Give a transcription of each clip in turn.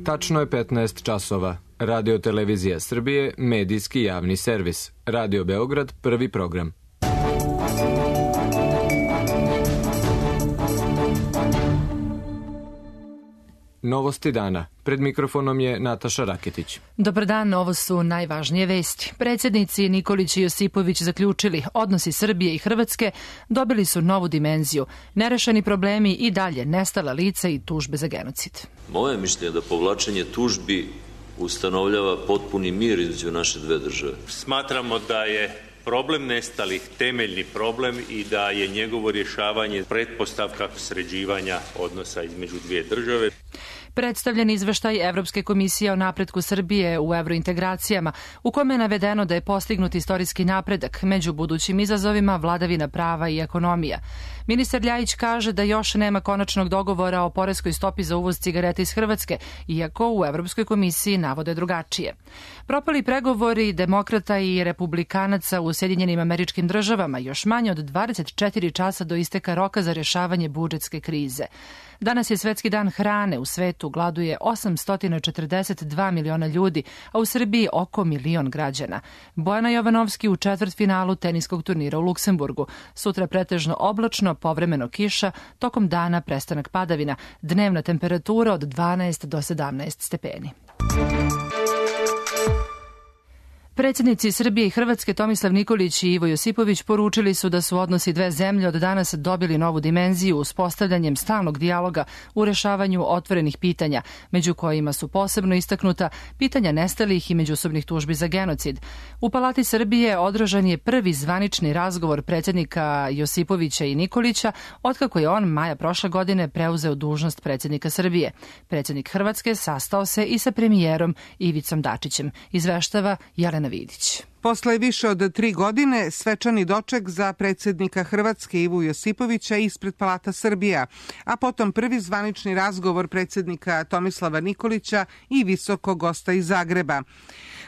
Tačno je 15 časova. Radio Televizija Srbije, medijski javni servis. Radio Beograd, prvi program. Novosti dana. Pred mikrofonom je Nataša Raketić. Dobar dan, ovo su najvažnije vesti. Predsjednici Nikolić i Josipović zaključili, odnosi Srbije i Hrvatske dobili su novu dimenziju. Nerešeni problemi i dalje, nestala lica i tužbe za genocid. Moje mišljenje je da povlačenje tužbi ustanovljava potpuni mir između naše dve države. Smatramo da je problem nestalih temeljni problem i da je njegovo rješavanje pretpostavka sređivanja odnosa između dvije države. Predstavljen izveštaj Evropske komisije o napretku Srbije u evrointegracijama, u kome je navedeno da je postignut istorijski napredak među budućim izazovima vladavina prava i ekonomija. Ministar Ljajić kaže da još nema konačnog dogovora o poreskoj stopi za uvoz cigareta iz Hrvatske, iako u Evropskoj komisiji navode drugačije. Propali pregovori demokrata i republikanaca u Sjedinjenim Američkim Državama još manje od 24 časa do isteka roka za rješavanje budžetske krize. Danas je Svetski dan hrane. U svetu gladuje 842 miliona ljudi, a u Srbiji oko milion građana. Bojana Jovanovski u četvrtfinalu teniskog turnira u Luksemburgu. Sutra pretežno oblačno, povremeno kiša, tokom dana prestanak padavina. Dnevna temperatura od 12 do 17 stepeni. Predsjednici Srbije i Hrvatske Tomislav Nikolić i Ivo Josipović poručili su da su odnosi dve zemlje od danas dobili novu dimenziju uspostavljanjem stalnog dijaloga u rešavanju otvorenih pitanja, među kojima su posebno istaknuta pitanja nestalih i međusobnih tužbi za genocid. U Palati Srbije održan je prvi zvanični razgovor predsjednika Josipovića i Nikolića otkako je on maja prošle godine preuzeo dužnost predsjednika Srbije. Predsjednik Hrvatske sastao se i sa premijerom Ivicom Dačićem. Izveštava Jelena Vidić. Posle više od 3 godine svečani doček za predsjednika Hrvatske Ivu Josipovića ispred Palata Srbija, a potom prvi zvanični razgovor predsjednika Tomislava Nikolića i visokog gosta iz Zagreba.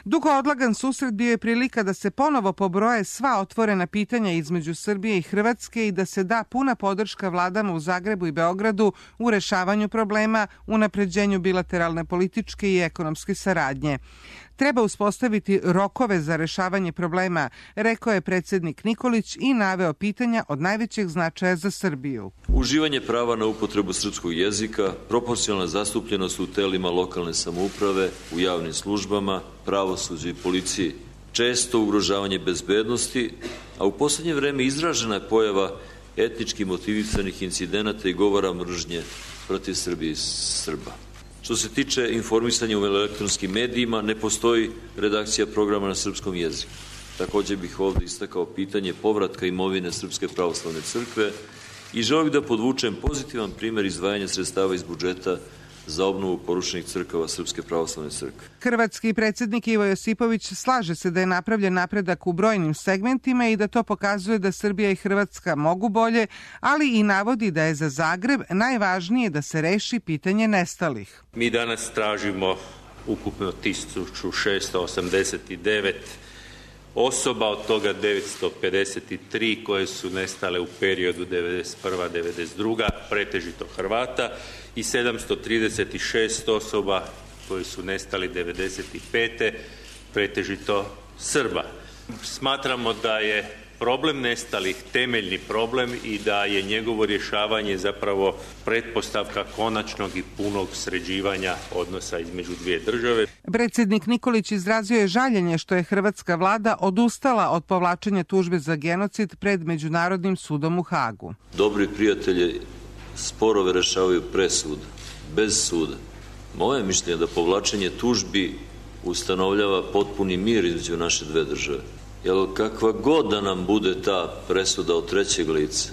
Dugo odlagan susret bio je prilika da se ponovo pobroje sva otvorena pitanja između Srbije i Hrvatske i da se da puna podrška vladama u Zagrebu i Beogradu u rešavanju problema, unapređenju bilateralne političke i ekonomske saradnje. Treba uspostaviti rokove za rešavanje problema, rekao je predsjednik Nikolić i naveo pitanja od najvećeg značaja za Srbiju. Uživanje prava na upotrebu srpskog jezika, proporcionalna zastupljenost u telima lokalne samouprave, u javnim službama, pravosuđu i policiji, često ugrožavanje bezbednosti, a u posljednje vreme izražena je pojava etnički motivisanih incidenata i govora mržnje protiv Srbije i Srba. Što se tiče informisanja u elektronskim medijima, ne postoji redakcija programa na srpskom jeziku. Također bih ovdje istakao pitanje povratka imovine Srpske pravoslavne crkve i želio bih da podvučem pozitivan primjer izdvajanja sredstava iz budžeta za obnovu porušenih crkava Srpske pravoslavne crkve. Hrvatski predsjednik Ivo Josipović slaže se da je napravljen napredak u brojnim segmentima i da to pokazuje da Srbija i Hrvatska mogu bolje, ali i navodi da je za Zagreb najvažnije da se reši pitanje nestalih. Mi danas tražimo ukupno 1689 osoba, od toga 953 koje su nestale u periodu 1991-1992, pretežito Hrvata, i 736 osoba koji su nestali 1995. pretežito Srba. Smatramo da je problem nestalih temeljni problem i da je njegovo rješavanje zapravo pretpostavka konačnog i punog sređivanja odnosa između dvije države. Predsjednik Nikolić izrazio je žaljenje što je hrvatska vlada odustala od povlačenja tužbe za genocid pred Međunarodnim sudom u Hagu. Dobri prijatelji sporove rešavaju presud, bez suda. Moje mišljenje je da povlačenje tužbi ustanovljava potpuni mir između naše dve države. Jer kakva god da nam bude ta presuda od trećeg lica,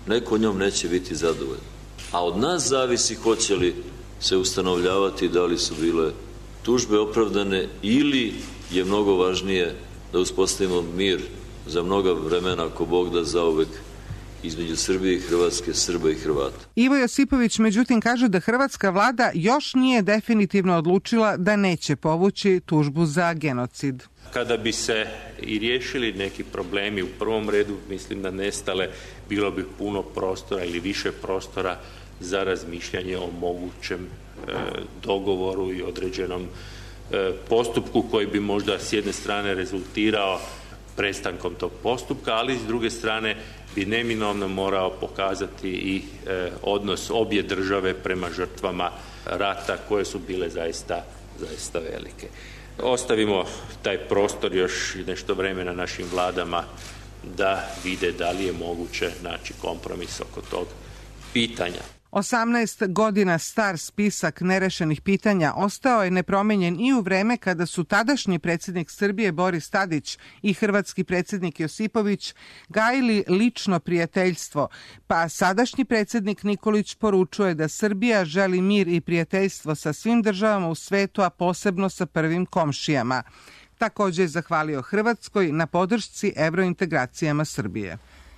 neko njom neće biti zadovoljan. A od nas zavisi hoće li se ustanovljavati da li su bile tužbe opravdane ili je mnogo važnije da uspostavimo mir za mnoga vremena, ako Bog da, zauvek između Srbije i Hrvatske, Srba i Hrvata. Ivo Josipović međutim kaže da hrvatska vlada još nije definitivno odlučila da neće povući tužbu za genocid. Kada bi se i riješili neki problemi, u prvom redu mislim da nestale bilo bi puno prostora ili više prostora za razmišljanje o mogućem dogovoru i određenom postupku koji bi možda s jedne strane rezultirao prestankom tog postupka, ali s druge strane bi neminovno morao pokazati i odnos obje države prema žrtvama rata koje su bile zaista velike. Ostavimo taj prostor još nešto vremena našim vladama da vide da li je moguće naći kompromis oko tog pitanja. 18 godina star spisak nerešenih pitanja ostao je nepromenjen i u vreme kada su tadašnji predsjednik Srbije Boris Tadić i hrvatski predsjednik Josipović gajili lično prijateljstvo, pa sadašnji predsjednik Nikolić poručuje da Srbija želi mir i prijateljstvo sa svim državama u svetu, a posebno sa prvim komšijama. Također je zahvalio Hrvatskoj na podršci evrointegracijama Srbije.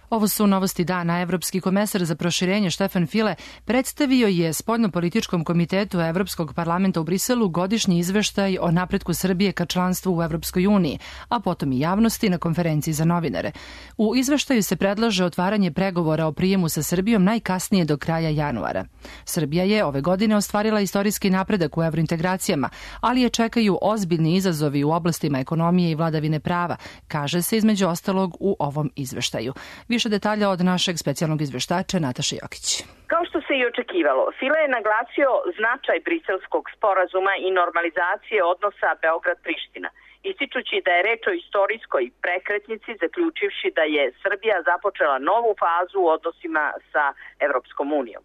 Ovo su novosti dana. Evropski komesar za proširenje Štefan File predstavio je Spoljnopolitičkom komitetu Evropskog parlamenta u Briselu godišnji izveštaj o napretku Srbije ka članstvu u Evropskoj uniji, a potom i javnosti na konferenciji za novinare. U izveštaju se predlaže otvaranje pregovora o prijemu sa Srbijom najkasnije do kraja januara. Srbija je ove godine ostvarila istorijski napredak u evrointegracijama, ali je čekaju ozbiljni izazovi u oblastima ekonomije i vladavine prava, kaže se između ostalog u ovom izveštaju. Više detalja od našeg specijalnog izveštača Nataše Jokić. Kao što se i očekivalo, File je naglasio značaj Briselskog sporazuma i normalizacije odnosa Beograd-Priština, ističući da je reč o istorijskoj prekretnici, zaključivši da je Srbija započela novu fazu u odnosima sa Evropskom unijom.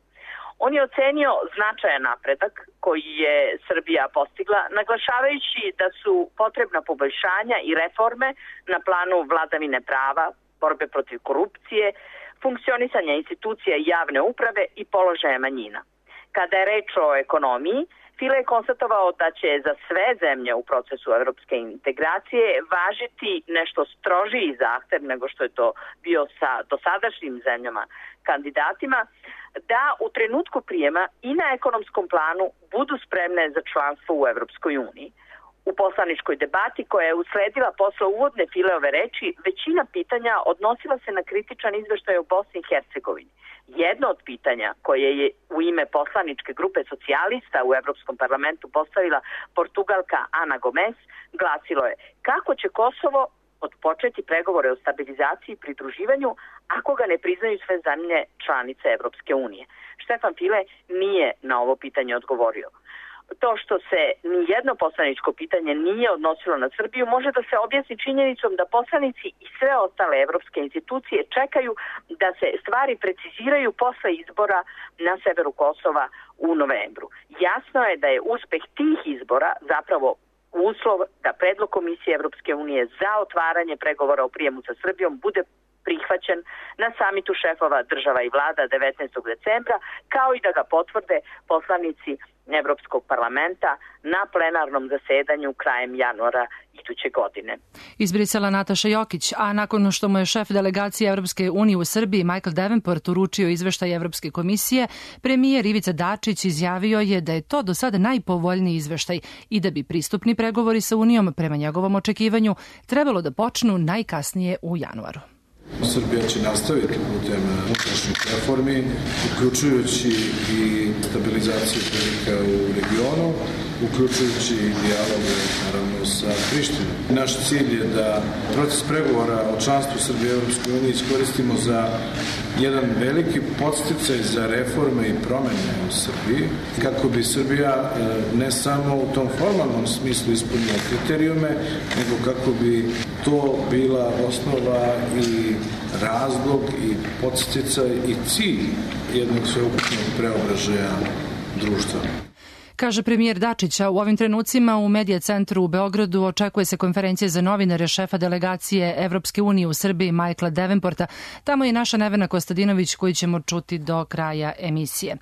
On je ocenio značajan napredak koji je Srbija postigla, naglašavajući da su potrebna poboljšanja i reforme na planu vladavine prava, borbe protiv korupcije, funkcionisanja institucija javne uprave i položaja manjina. Kada je reč o ekonomiji, File je konstatovao da će za sve zemlje u procesu evropske integracije važiti nešto strožiji zahtev nego što je to bio sa dosadašnjim zemljama kandidatima, da u trenutku prijema i na ekonomskom planu budu spremne za članstvo u Evropskoj uniji. U poslaničkoj debati koja je usledila posle uvodne Fileove reči, većina pitanja odnosila se na kritičan izveštaj o Bosni i Hercegovini. Jedno od pitanja koje je u ime poslaničke grupe socijalista u Evropskom parlamentu postavila Portugalka Ana Gomes glasilo je: kako će Kosovo odpočeti pregovore o stabilizaciji i pridruživanju ako ga ne priznaju sve zemlje članice Evropske unije? Štefan File nije na ovo pitanje odgovorio. To što se nijedno poslaničko pitanje nije odnosilo na Srbiju može da se objasni činjenicom da poslanici i sve ostale evropske institucije čekaju da se stvari preciziraju posle izbora na severu Kosova u novembru. Jasno je da je uspeh tih izbora zapravo uslov da predlog Komisije Evropske unije za otvaranje pregovora o prijemu sa Srbijom bude prihvaćen na samitu šefova država i vlada 19. decembra, kao i da ga potvrde poslanici Evropskog parlamenta na plenarnom zasedanju krajem januara iduće godine. Iz Brisela Nataša Jokić, a nakon što mu je šef delegacije Evropske unije u Srbiji Michael Davenport uručio izveštaj Evropske komisije, premijer Ivica Dačić izjavio je da je to do sada najpovoljniji izveštaj i da bi pristupni pregovori sa Unijom prema njegovom očekivanju trebalo da počnu najkasnije u januaru. Srbija će nastaviti putem unutrašnjih reformi, uključujući i stabilizaciju prilika u regionu, uključujući i dijalog naravno sa Prištinom. Naš cilj je da proces pregovora o članstvu Srbije u Evropskoj uniji iskoristimo za jedan veliki podsticaj za reforme i promene u Srbiji, kako bi Srbija ne samo u tom formalnom smislu ispunila kriterijume, nego kako bi to bila osnova i razlog i podsticaj i cilj jednog sveukupnog preobražaja društva. Kaže premijer Dačića, u ovim trenucima u Medija centru u Beogradu očekuje se konferencija za novinare šefa delegacije Evropske unije u Srbiji Michaela Davenporta. Tamo je naša Nevena Kostadinović koju ćemo čuti do kraja emisije.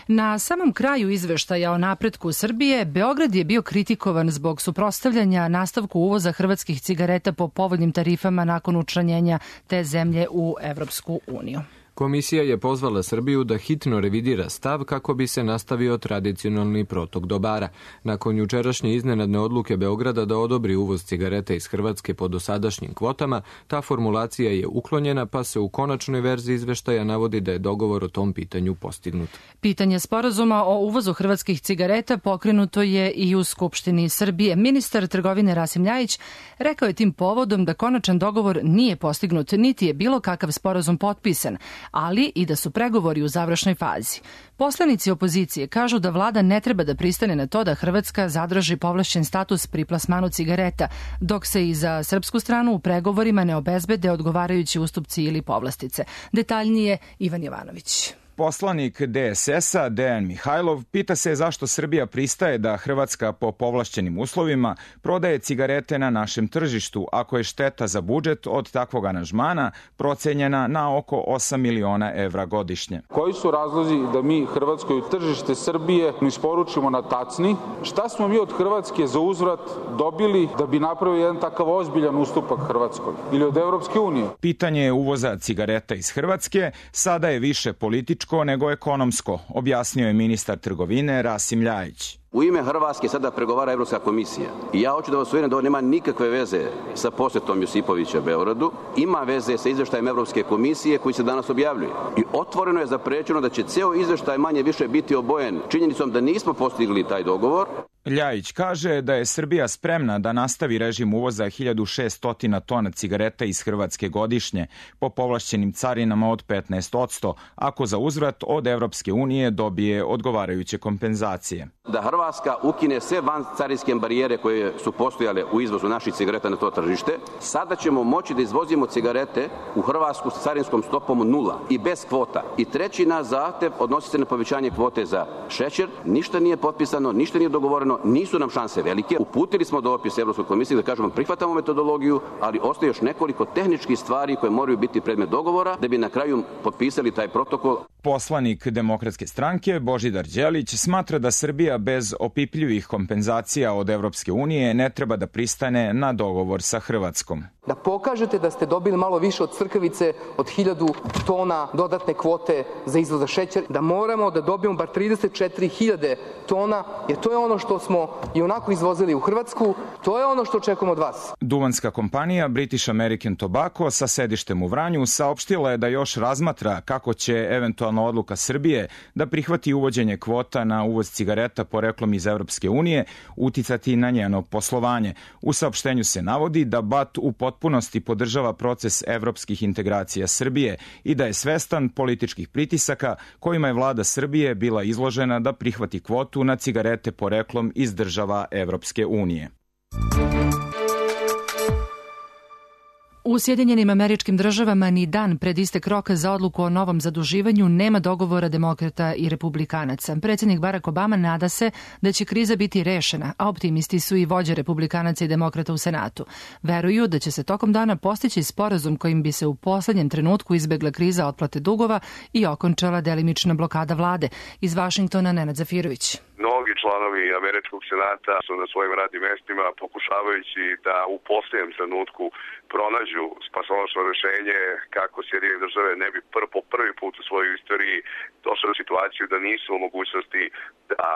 Na samom kraju izveštaja o napretku Srbije, Beograd je bio kritikovan zbog suprotstavljanja nastavku uvoza hrvatskih cigareta po povoljnim tarifama nakon učlanjenja te zemlje u Evropsku uniju. Komisija je pozvala Srbiju da hitno revidira stav kako bi se nastavio tradicionalni protok dobara. Nakon jučerašnje iznenadne odluke Beograda da odobri uvoz cigareta iz Hrvatske po dosadašnjim kvotama, ta formulacija je uklonjena, pa se u konačnoj verziji izveštaja navodi da je dogovor o tom pitanju postignut. Pitanje sporazuma o uvozu hrvatskih cigareta pokrenuto je i u Skupštini Srbije. Ministar trgovine Rasim Ljajić rekao je tim povodom da konačan dogovor nije postignut, niti je bilo kakav sporazum potpisan, ali i da su pregovori u završnoj fazi. Poslanici opozicije kažu da vlada ne treba da pristane na to da Hrvatska zadrži povlašćen status pri plasmanu cigareta, dok se i za srpsku stranu u pregovorima ne obezbede odgovarajući ustupci ili povlastice. Detaljnije Ivan Jovanović. Poslanik DSS-a Dejan Mihajlov pita se zašto Srbija pristaje da Hrvatska po povlašćenim uslovima prodaje cigarete na našem tržištu, ako je šteta za budžet od takvog aranžmana procenjena na oko 8 miliona evra godišnje. Koji su razlozi da mi Hrvatskoj tržište Srbije isporučimo na tacni? Šta smo mi od Hrvatske za uzvrat dobili da bi napravili jedan takav ozbiljan ustupak Hrvatskoj ili od Evropske unije? Pitanje uvoza cigareta iz Hrvatske sada je više političko nego ekonomsko, objasnio je ministar trgovine Rasim Ljajić. U ime Hrvatske sada pregovara Evropska komisija. I ja hoću da vas uvjerim da ovo nema nikakve veze sa posjetom Josipovića Beogradu. Ima veze sa izveštajem Evropske komisije koji se danas objavljuje. I otvoreno je zaprećeno da će ceo izveštaj manje više biti obojen činjenicom da nismo postigli taj dogovor. Ljajić kaže da je Srbija spremna da nastavi režim uvoza 1600 tona cigareta iz Hrvatske godišnje po povlašćenim carinama od 15%, ako za uzvrat od Evropske unije dobije odgovarajuće kompenzacije. Da Hrvatska ukine sve vancarinske barijere koje su postojale u izvozu naših cigareta na to tržište, sada ćemo moći da izvozimo cigarete u Hrvatsku s carinskom stopom 0 i bez kvota. I treći naš zahtev odnosi se na povećanje kvote za šećer. Ništa nije potpisano, ništa nije dogovoreno, nisu nam šanse velike. Uputili smo dopis Evropskoj komisiji da kažemo prihvatamo metodologiju, ali ostaje još nekoliko tehničkih stvari koje moraju biti predmet dogovora da bi na kraju potpisali taj protokol. Poslanik Demokratske stranke Božidar Đelić smatra da Srbija bez opipljivih kompenzacija od Evropske unije ne treba da pristane na dogovor sa Hrvatskom. Da pokažete da ste dobili malo više od crkavice od 1000 tona dodatne kvote za izvoz za šećer, da moramo da dobijemo bar 34.000 tona, jer to je ono što smo i onako izvozili u Hrvatsku, to je ono što očekujemo od vas. Duvanska kompanija British American Tobacco sa sedištem u Vranju saopštila je da još razmatra kako će eventualno odluka Srbije da prihvati uvođenje kvota na uvoz cigareta poreklom iz Evropske unije uticati na njeno poslovanje. U saopštenju se navodi da BAT u potpunosti podržava proces evropskih integracija Srbije i da je svestan političkih pritisaka kojima je vlada Srbije bila izložena da prihvati kvotu na cigarete poreklom iz država Evropske unije. U Sjedinjenim Američkim Državama ni dan pred istek roka za odluku o novom zaduživanju nema dogovora demokrata i republikanaca. Predsjednik Barack Obama nada se da će kriza biti rešena, a optimisti su i vođe republikanaca i demokrata u Senatu. Veruju da će se tokom dana postići sporazum kojim bi se u poslednjem trenutku izbegla kriza otplate dugova i okončala delimična blokada vlade. Iz Vašingtona Nenad Zafirović. Mnogi članovi Američkog senata su na svojim radnim mestima pokušavajući da u posljednjem trenutku pronađu spasonosno rešenje kako Sjedinjene države ne bi po prvi put u svojoj istoriji došli u situaciju da nisu u mogućnosti da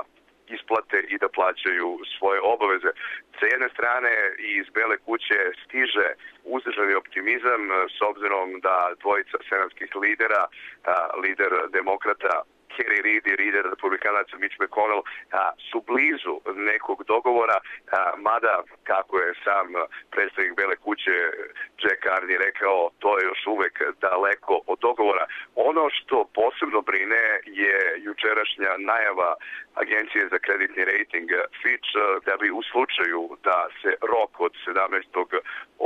isplate i da plaćaju svoje obaveze. Sa jedne strane iz Bele kuće stiže uzdržani optimizam s obzirom da dvojica senatskih lidera, lider demokrata Harry Reid i lider republikanaca Mitch McConnell su blizu nekog dogovora, mada, kako je sam predstavnik Bele kuće Jack Carney rekao, to je još uvek daleko od dogovora. Ono što posebno brine je jučerašnja najava Agencije za kreditni rating Fitch da bi u slučaju da se rok od 17.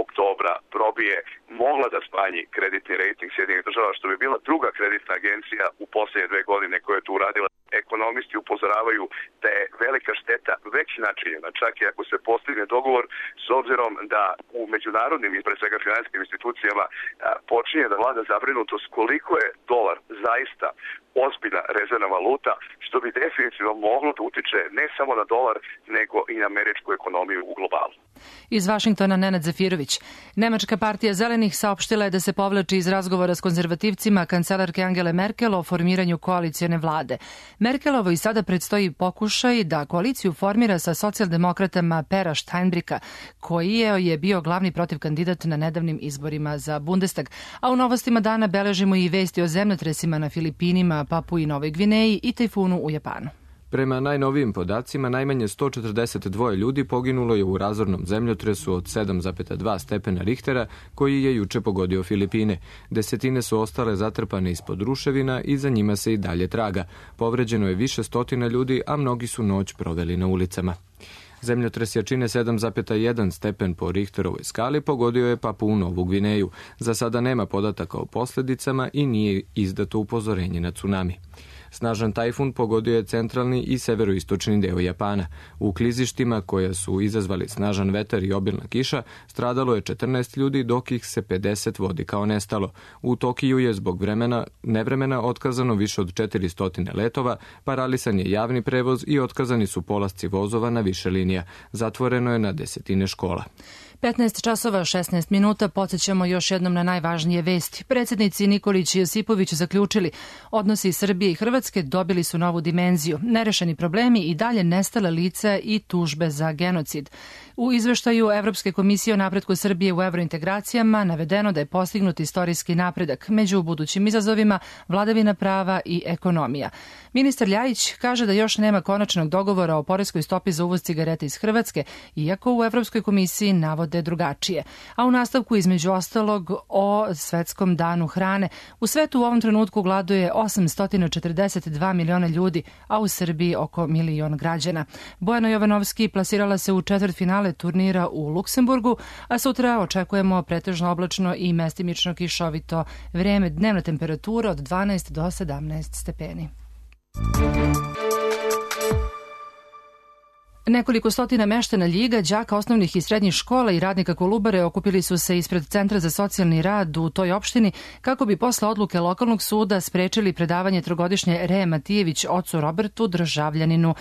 oktobra probije mogla da smanji kreditni rating Sjedinjenih država, što bi bila druga kreditna agencija u posljednje 2 godine koja je to uradila. Ekonomisti upozoravaju da je velika šteta već načinjena, čak i ako se postigne dogovor, s obzirom da u međunarodnim i pre svega finansijskim institucijama počinje da vlada zabrinutost koliko je dolar zaista ozbiljna rezervna valuta, što bi definitivno moglo da utiče ne samo na dolar, nego i na američku ekonomiju u globalu. Iz Vašingtona Nenad Zafirović. Nemačka partija Zelenih saopštila je da se povlači iz razgovora s konzervativcima kancelarke Angele Merkel o formiranju koalicijone vlade. Merkelovo i sada predstoji pokušaj da koaliciju formira sa socijaldemokratama Pera Steinbricka, koji je bio glavni protivkandidat na nedavnim izborima za Bundestag. A u novostima dana beležimo i vesti o zemljotresima na Filipinima, Papui i Novoj Gvineji i tajfunu u Japanu. Prema najnovijim podacima, najmanje 142 ljudi poginulo je u razornom zemljotresu od 7,2 stepena Richtera, koji je juče pogodio Filipine. Desetine su ostale zatrpane ispod ruševina i za njima se i dalje traga. Povređeno je više stotina ljudi, a mnogi su noć proveli na ulicama. Zemljotres jačine 7,1 stepen po Richterovoj skali pogodio je Papuu Novu Gvineju. Za sada nema podataka o posljedicama i nije izdato upozorenje na tsunami. Snažan tajfun pogodio je centralni i severoistočni deo Japana. U klizištima koja su izazvali snažan vetar i obilna kiša stradalo je 14 ljudi, dok ih se 50 vodi kao nestalo. U Tokiju je zbog nevremena otkazano više od 400 letova, paralisan je javni prevoz i otkazani su polasci vozova na više linija. Zatvoreno je na desetine škola. 15 časova 16 minuta, podsjećamo još jednom na najvažnije vesti. Predsjednici Nikolić i Josipović zaključili, odnosi Srbije i Hrvatske dobili su novu dimenziju. Nerešeni problemi i dalje nestale lica i tužbe za genocid. U izveštaju Evropske komisije o napretku Srbije u evrointegracijama navedeno da je postignut istorijski napredak. Među budućim izazovima vladavina prava i ekonomija. Ministar Ljajić kaže da još nema konačnog dogovora o poreskoj stopi za uvoz cigareta iz Hrvatske, iako u Evropskoj komisiji navode drugačije. A u nastavku između ostalog o Svetskom danu hrane. U svetu u ovom trenutku gladuje 842 miliona ljudi, a u Srbiji oko milion građana. Bojana Jovanovski plasirala se u četvrtfinale turnira u Luksemburgu, a sutra očekujemo pretežno oblačno i mestimično kišovito vreme, dnevna temperatura od 12 do 17 stepeni. Nekoliko stotina meštana Ljiga, đaka osnovnih i srednjih škola i radnika Kolubare okupili su se ispred Centra za socijalni rad u toj opštini kako bi posle odluke lokalnog suda sprečili predavanje trogodišnje Reje Matijević ocu Robertu, državljaninu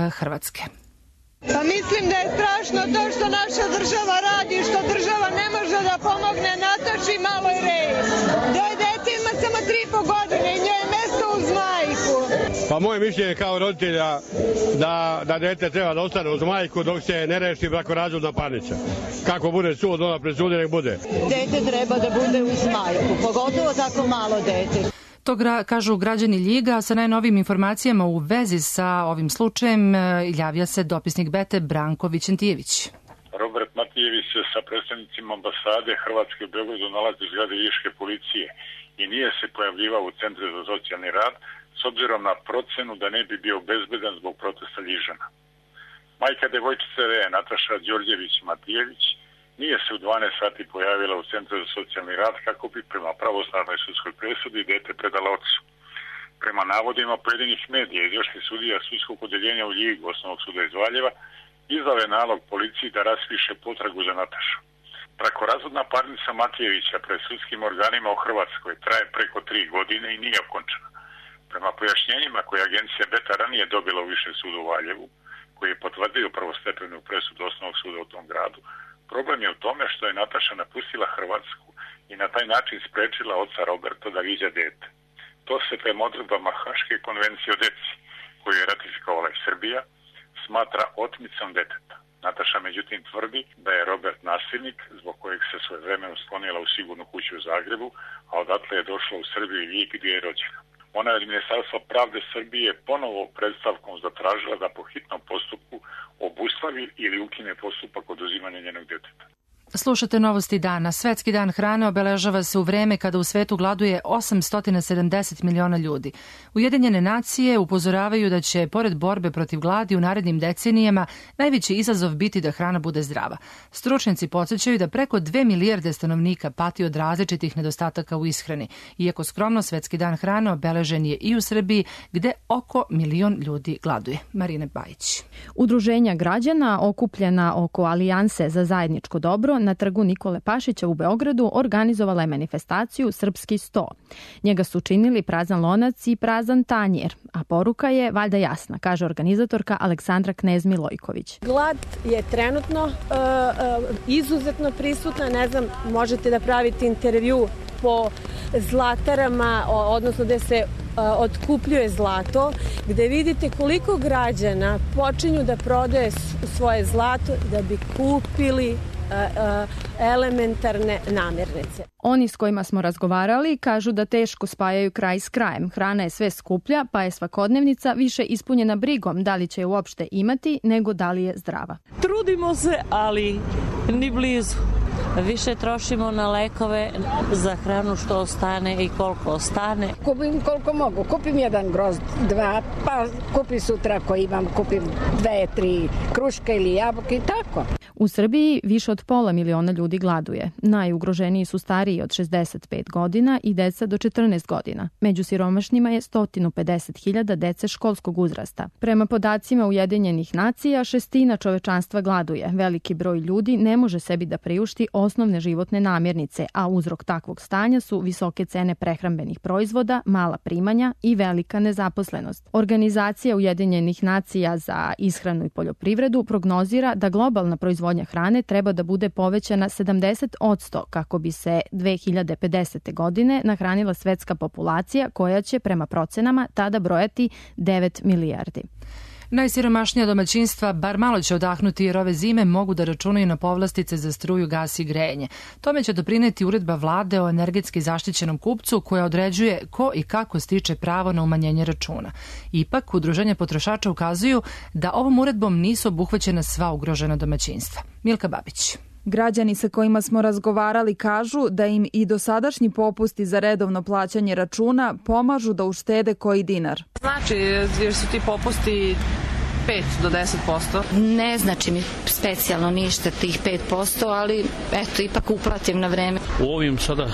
Hrvatske. Pa mislim da je strašno to što naša država radi, što država ne može da pomogne Nataši maloj Reji. Doj dete ima samo 3,5 godine i njoj je mesto uz majku. Pa moje mišljenje kao roditelja da dete treba da ostane uz majku dok se ne reši brakorazvodna parnica. Kako bude sud, ona presudi, nek bude. Dete treba da bude uz majku, pogotovo tako malo dete. To kažu građani Ljiga. Sa najnovim informacijama u vezi sa ovim slučajem javlja se dopisnik Bete Branko Vićentijević. Robert Matijević se sa predstavnicima ambasade Hrvatske u Beogradu nalazi u zgradi Ljiške policije i nije se pojavljivao u Centru za socijalni rad s obzirom na procenu da ne bi bio bezbedan zbog protesta Ljižana. Majka devojčice Reje, Nataša Đorđević Matijević, nije se u 12 sati pojavila u Centru za socijalni rad kako bi prema pravosnažnoj sudskoj presudi dete predala ocu. Prema navodima pojedinih medija izvršni sudija sudskog odeljenja u Ljigu osnovnog suda iz Valjeva izdao je nalog policiji da raspiše potragu za Natašu. Brakorazvodna parnica Matijevića pred sudskim organima u Hrvatskoj traje preko 3 godine i nije okončana. Prema pojašnjenjima koje agencija Beta ranije dobila u Višem sudu u Valjevu, koji je potvrdio prvostepenu presudu osnovnog suda u tom gradu, problem je u tome što je Nataša napustila Hrvatsku i na taj način sprečila oca Roberta da viđa dete. To se prema odredbama Haške konvencije o deci, koju je ratifikovala i Srbija, smatra otmicom deteta. Nataša međutim tvrdi da je Robert nasilnik zbog kojeg se svojevremeno sklonila u sigurnu kuću u Zagrebu, a odatle je došla u Srbiju i Ljig gdje je rođena. Ona je od Ministarstva pravde Srbije ponovo predstavkom zatražila da po hitnom postupku obustavi ili ukine postupak oduzimanja njenog deteta. Slušate novosti dana. Svetski dan hrane obeležava se u vreme kada u svetu gladuje 870 miliona ljudi. Ujedinjene nacije upozoravaju da će, pored borbe protiv gladi u narednim decenijama, najveći izazov biti da hrana bude zdrava. Stručnjaci podsjećaju da preko 2 milijarde stanovnika pati od različitih nedostataka u ishrani. Iako skromno, Svetski dan hrane obeležen je i u Srbiji, gde oko 1 milion ljudi gladuje. Marina Bajić. Udruženja građana okupljena oko Alijanse za zajedničko dobro tako na trgu Nikole Pašića u Beogradu organizovala je manifestaciju Srpski 100. Njega su činili prazan lonac i prazan tanjer, a poruka je valjda jasna, kaže organizatorka Aleksandra Knez-Milojković. Glad je trenutno izuzetno prisutna, ne znam, možete da pravite intervju po zlatarama, odnosno gde se otkupljuje zlato, gde vidite koliko građana počinju da prodaje svoje zlato da bi kupili elementarne namirnice. Oni s kojima smo razgovarali kažu da teško spajaju kraj s krajem. Hrana je sve skuplja, pa je svakodnevnica više ispunjena brigom da li će je uopšte imati nego da li je zdrava. Trudimo se, ali ni blizu. Više trošimo na lekove, za hranu što ostane i koliko ostane. Kupim koliko mogu. Kupim jedan grozd, 2, pa kupim sutra ako imam, kupim 2, 3 kruške ili jabuke i tako. U Srbiji više od 500.000 ljudi gladuje. Najugroženiji su stariji od 65 godina i deca do 14 godina. Među siromašnima je 150.000 dece školskog uzrasta. Prema podacima Ujedinjenih nacija, 1/6 čovečanstva gladuje. Veliki broj ljudi ne može sebi da priušti osnovne životne namirnice, a uzrok takvog stanja su visoke cene prehrambenih proizvoda, mala primanja i velika nezaposlenost. Organizacija Ujedinjenih nacija za ishranu i poljoprivredu prognozira da globalna proizvodnja hrane treba da bude povećana 70% kako bi se 2050. godine nahranila svetska populacija koja će prema procenama tada brojati 9 milijardi. Najsiromašnija domaćinstva bar malo će odahnuti jer ove zime mogu da računaju na povlastice za struju, gas i grejanje. Tome će doprineti uredba vlade o energetski zaštićenom kupcu koja određuje ko i kako stiče pravo na umanjenje računa. Ipak, udruženja potrošača ukazuju da ovom uredbom nisu obuhvaćena sva ugrožena domaćinstva. Milka Babić. Građani sa kojima smo razgovarali kažu da im i dosadašnji popusti za redovno plaćanje računa pomažu da uštede koji dinar. Znači, jer su ti popusti 5 do 10%? Ne znači mi specijalno ništa tih 5%, ali eto, ipak uplatim na vreme. U ovim sada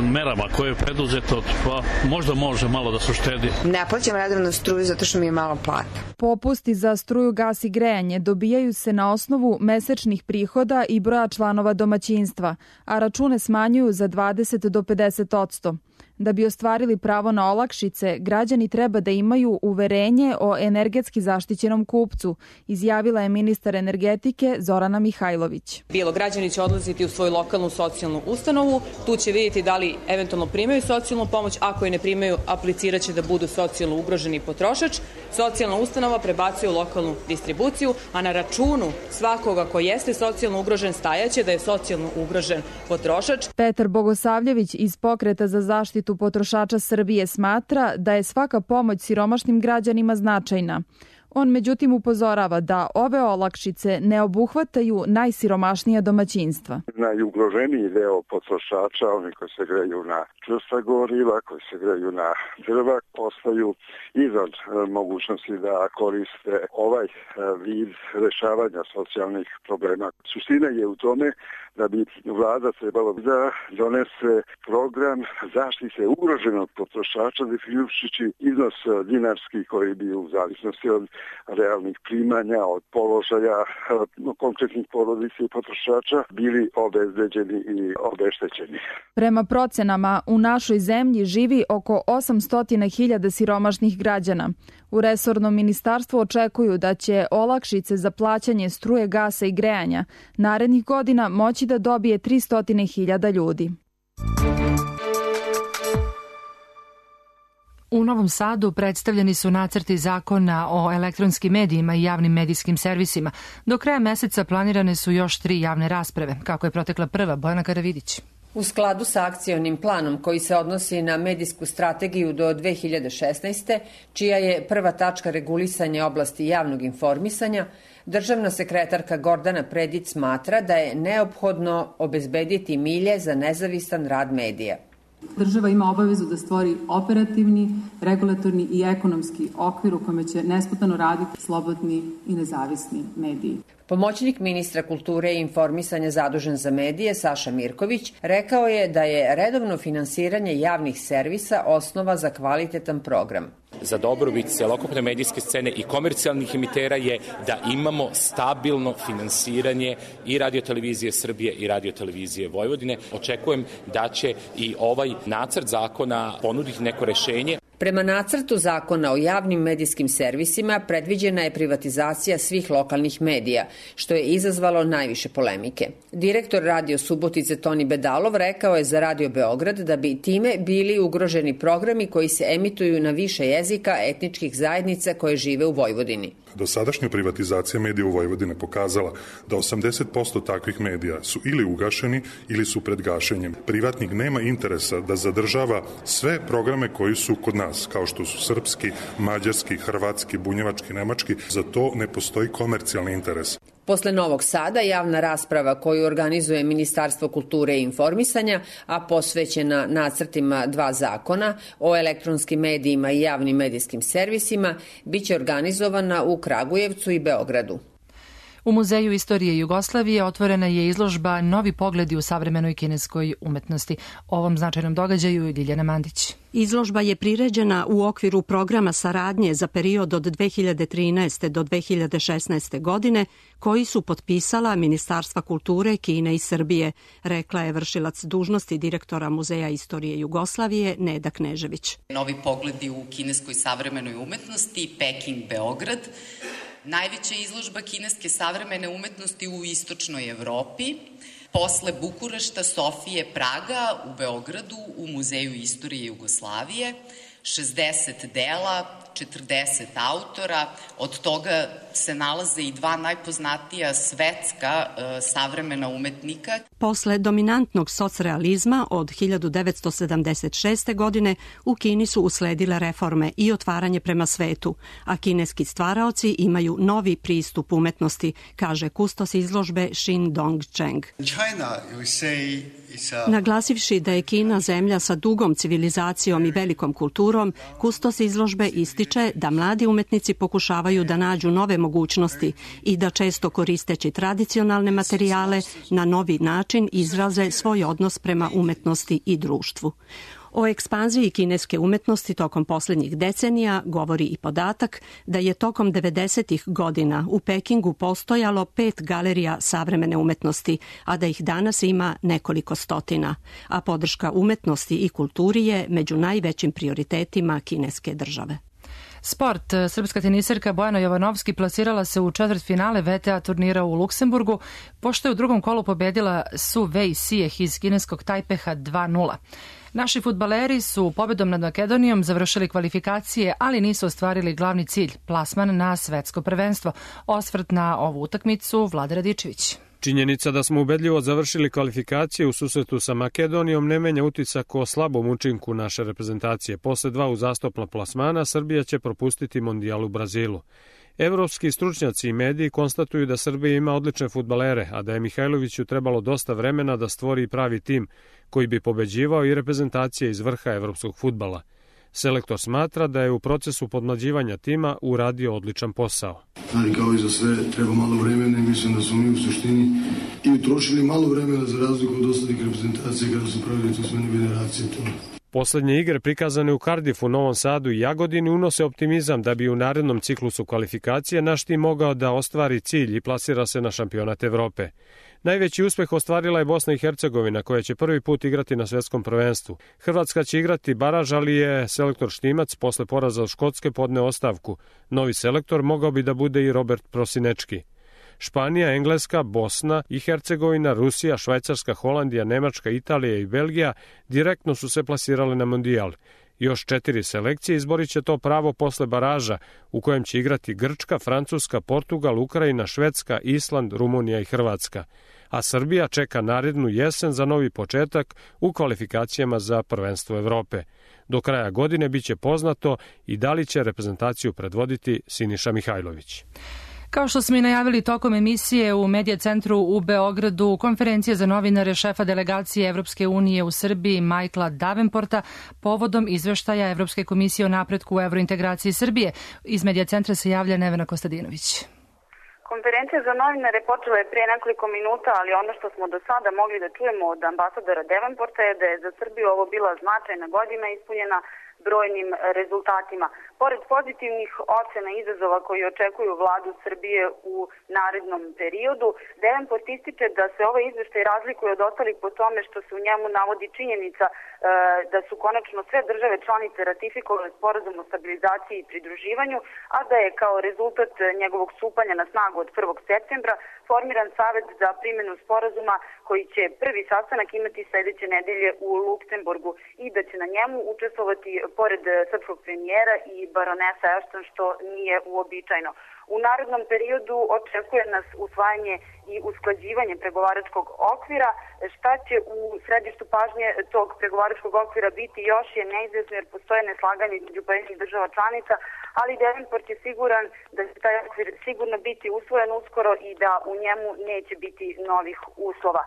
merama koje je preduzeto, pa možda može malo da se uštedi. Ne plaćam redovno struju zato što mi je malo plata. Popusti za struju, gas i grejanje dobijaju se na osnovu mesečnih prihoda i broja članova domaćinstva, a račune smanjuju za 20 do 50%. Da bi ostvarili pravo na olakšice, građani treba da imaju uverenje o energetski zaštićenom kupcu, izjavila je ministar energetike Zorana Mihajlović. Bilo građani će odlaziti u svoju lokalnu socijalnu ustanovu, tu će vidjeti da li eventualno primaju socijalnu pomoć, ako je ne primaju, aplicirat će da budu socijalno ugroženi potrošač. Socijalna ustanova prebacuje u lokalnu distribuciju, a na računu svakoga ko jeste socijalno ugrožen stajaće da je socijalno ugrožen potrošač. Petar Bogosavljević iz Pokreta za zaštitu potrošača Srbije smatra da je svaka pomoć siromašnim građanima značajna. On međutim upozorava da ove olakšice ne obuhvataju najsiromašnija domaćinstva. Najugroženiji deo potrošača, oni koji se greju na čvrsta goriva, koji se greju na drva, postaju izvan mogućnosti da koriste ovaj vid rešavanja socijalnih problema. Suština je u tome da bi vlada trebalo da donese program zaštite ugroženog potrošača, definišući iznos dinarski koji bi u zavisnosti od realnih primanja, od položaja konkretnih porodica i potrošača bili obezbeđeni i obeštećeni. Prema procenama, u našoj zemlji živi oko 800.000 siromašnih građana. U resornom ministarstvu očekuju da će olakšice za plaćanje struje, gasa i grejanja narednih godina moći da dobije 300.000 ljudi. U Novom Sadu predstavljeni su nacrti zakona o elektronskim medijima i javnim medijskim servisima. Do kraja meseca planirane su još 3 javne rasprave. Kako je protekla prva, Bojana Karavidić. U skladu sa akcionim planom koji se odnosi na medijsku strategiju do 2016. čija je prva tačka regulisanje oblasti javnog informisanja, državna sekretarka Gordana Predić smatra da je neophodno obezbediti milje za nezavisan rad medija. Država ima obavezu da stvori operativni, regulatorni i ekonomski okvir u kome će nesputano raditi slobodni i nezavisni mediji. Pomoćnik ministra kulture i informisanja zadužen za medije Saša Mirković rekao je da je redovno finansiranje javnih servisa osnova za kvalitetan program. Za dobrobit celokupne medijske scene i komercijalnih emitera je da imamo stabilno finansiranje i Radio-televizije Srbije i Radio-televizije Vojvodine. Očekujem da će i ovaj nacrt zakona ponuditi neko rešenje. Prema nacrtu zakona o javnim medijskim servisima predviđena je privatizacija svih lokalnih medija, što je izazvalo najviše polemike. Direktor Radio Subotice Toni Bedalov rekao je za Radio Beograd da bi time bili ugroženi programi koji se emituju na više jezika etničkih zajednica koje žive u Vojvodini. Dosadašnja privatizacija medija u Vojvodine pokazala da 80% takvih medija su ili ugašeni ili su pred gašenjem. Privatnik nema interesa da zadržava sve programe koji su kod nas, kao što su srpski, mađarski, hrvatski, bunjevački, nemački. Za to ne postoji komercijalni interes. Posle Novog Sada javna rasprava koju organizuje Ministarstvo kulture i informisanja, a posvećena nacrtima 2 zakona o elektronskim medijima i javnim medijskim servisima, biće organizovana u Kragujevcu i Beogradu. U Muzeju istorije Jugoslavije otvorena je izložba Novi pogledi u savremenoj kineskoj umetnosti. O ovom značajnom događaju Ljiljana Mandić. Izložba je priređena u okviru programa saradnje za period od 2013. do 2016. godine, koji su potpisala Ministarstva kulture Kine i Srbije, rekla je vršilac dužnosti direktora Muzeja istorije Jugoslavije Neda Knežević. Novi pogledi u kineskoj savremenoj umetnosti, Peking, Beograd. Najveća izložba kineske savremene umetnosti u istočnoj Evropi, posle Bukurešta, Sofije, Praga, u Beogradu, u Muzeju istorije Jugoslavije, 60 dela, 40 autora, od toga se nalaze i 2 najpoznatija svetska savremena umetnika. Posle dominantnog socrealizma od 1976. godine u Kini su usledile reforme i otvaranje prema svetu, a kineski stvaraoci imaju novi pristup umetnosti, kaže kustos izložbe Xin Dongcheng. Naglasivši da je Kina zemlja sa dugom civilizacijom i velikom kulturom, kustos izložbe ističe da mladi umetnici pokušavaju da nađu nove mogućnosti i da često koristeći tradicionalne materijale na novi način izraze svoj odnos prema umetnosti i društvu. O ekspanziji kineske umetnosti tokom posljednjih decenija govori i podatak da je tokom 90-ih godina u Pekingu postojalo 5 galerija savremene umetnosti, a da ih danas ima nekoliko stotina, a podrška umetnosti i kulturi je među najvećim prioritetima kineske države. Sport. Srpska teniserka Bojana Jovanovski plasirala se u četvrtfinale VTA turnira u Luksemburgu, pošto je u drugom kolu pobedila Su Wei Sijeh iz kineskog Tajpeha 2:0. Naši fudbaleri su pobedom nad Makedonijom završili kvalifikacije, ali nisu ostvarili glavni cilj, plasman na svetsko prvenstvo. Osvrt na ovu utakmicu Vlada Radičević. Činjenica da smo ubedljivo završili kvalifikacije u susretu sa Makedonijom ne menja utisak o slabom učinku naše reprezentacije. Posle 2 uzastopna plasmana Srbija će propustiti mondijal u Brazilu. Evropski stručnjaci i mediji konstatuju da Srbija ima odlične fudbalere, a da je Mihajloviću trebalo dosta vremena da stvori pravi tim koji bi pobeđivao i reprezentacije iz vrha evropskog fudbala. Selektor smatra da je u procesu podmlađivanja tima uradio odličan posao. Ali kao i za sve treba malo vremena i mislim da smo mi u suštini i utrošili malo vremena za razliku od ostalih reprezentacija kada su pravili tu smene generacije. Poslednje igre prikazane u Cardiffu, Novom Sadu i Jagodini unose optimizam da bi u narednom ciklusu kvalifikacije naš tim mogao da ostvari cilj i plasira se na šampionat Evrope. Najveći uspeh ostvarila je Bosna i Hercegovina, koja će prvi put igrati na svetskom prvenstvu. Hrvatska će igrati baraž, ali je selektor Štimac posle poraza od Škotske podneo ostavku. Novi selektor mogao bi da bude i Robert Prosinečki. Španija, Engleska, Bosna i Hercegovina, Rusija, Švajcarska, Holandija, Nemačka, Italija i Belgija direktno su se plasirale na mondijal. Još 4 selekcije izborit će to pravo posle baraža, u kojem će igrati Grčka, Francuska, Portugal, Ukrajina, Švedska, Island, Rumunija i Hrvatska. A Srbija čeka narednu jesen za novi početak u kvalifikacijama za prvenstvo Evrope. Do kraja godine biće poznato i da li će reprezentaciju predvoditi Siniša Mihajlović. Kao što smo i najavili tokom emisije u Medija centru u Beogradu, konferencija za novinare šefa delegacije Evropske unije u Srbiji Michaela Davenporta povodom izveštaja Evropske komisije o napretku u evrointegraciji Srbije. Iz Medija centra se javlja Nevena Kostadinović. Konferencija za novinare počela je prije nekoliko minuta, ali ono što smo do sada mogli da čujemo od ambasadora Davenporta je da je za Srbiju ovo bila značajna godina ispunjena brojnim rezultatima. Pored pozitivnih ocena izazova koji očekuju vladu Srbije u narednom periodu, Davenport ističe da se ovaj izveštaj razlikuje od ostalih po tome što se u njemu navodi činjenica da su konačno sve države članice ratifikovale sporazum o stabilizaciji i pridruživanju, a da je kao rezultat njegovog stupanja na snagu od 1. septembra formiran savet za primjenu sporazuma koji će prvi sastanak imati sledeće nedelje u Luksemburgu i da će na njemu učestvovati pored srpskog premijera i baronesa Ashton, što nije uobičajeno. U narednom periodu očekuje nas usvajanje i usklađivanje pregovaračkog okvira. Šta će u središtu pažnje tog pregovaračkog okvira biti još je neizvjesno jer postoje neslaganje između pojedinih država članica, ali Davenport je siguran da će taj okvir sigurno biti usvojen uskoro i da u njemu neće biti novih uslova.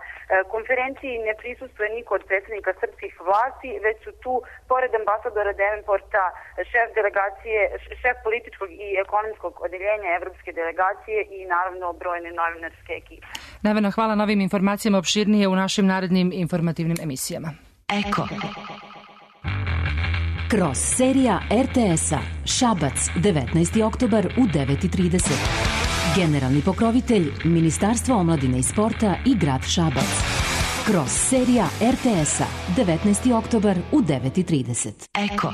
Konferenciji ne prisustuje niko od predsednika srpskih vlasti, već su tu, pored ambasadora Davenporta, šef političkog i ekonomskog odeljenja Evropske delegacije i naravno brojne novinarske ekipe. Nevena, hvala na ovim informacijama, opširnije u našim narednim informativnim emisijama. Eko. Kroz serija RTS-a Šabac, 19. oktobar u 9:30. Generalni pokrovitelj Ministarstvo omladine i sporta i grad Šabac. Kroz serija RTS-a 19. oktobar u 9:30. Eko.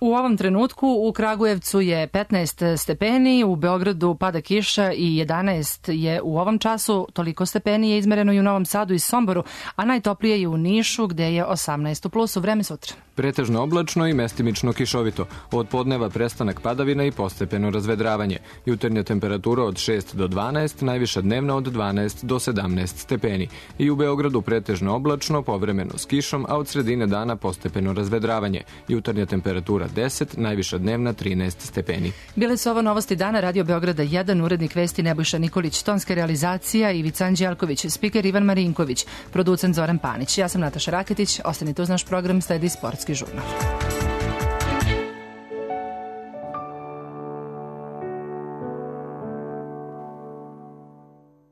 U ovom trenutku u Kragujevcu je 15 stepeni, u Beogradu pada kiša i 11 je u ovom času, toliko stepeni je izmereno i u Novom Sadu i Somboru, a najtoplije je u Nišu gde je 18 u plusu. Vreme sutra. Pretežno oblačno i mestimično kišovito. Od podneva prestanak padavina i postepeno razvedravanje. Jutarnja temperatura od 6 do 12, najviša dnevna od 12 do 17 stepeni. I u Beogradu pretežno oblačno, povremeno s kišom, a od sredine dana postepeno razvedravanje. Jutarnja temperatura 10, najviša dnevna 13 stepeni. Bile su ovo novosti dana Radio Beograda 1, urednik vesti Nebojša Nikolić, tonska realizacija Ivica Anđelković, spiker Ivan Marinković, producent Zoran Panić. Ja sam Nataša Raketić, ostanite uz naš program, sledi Sportski žurnal.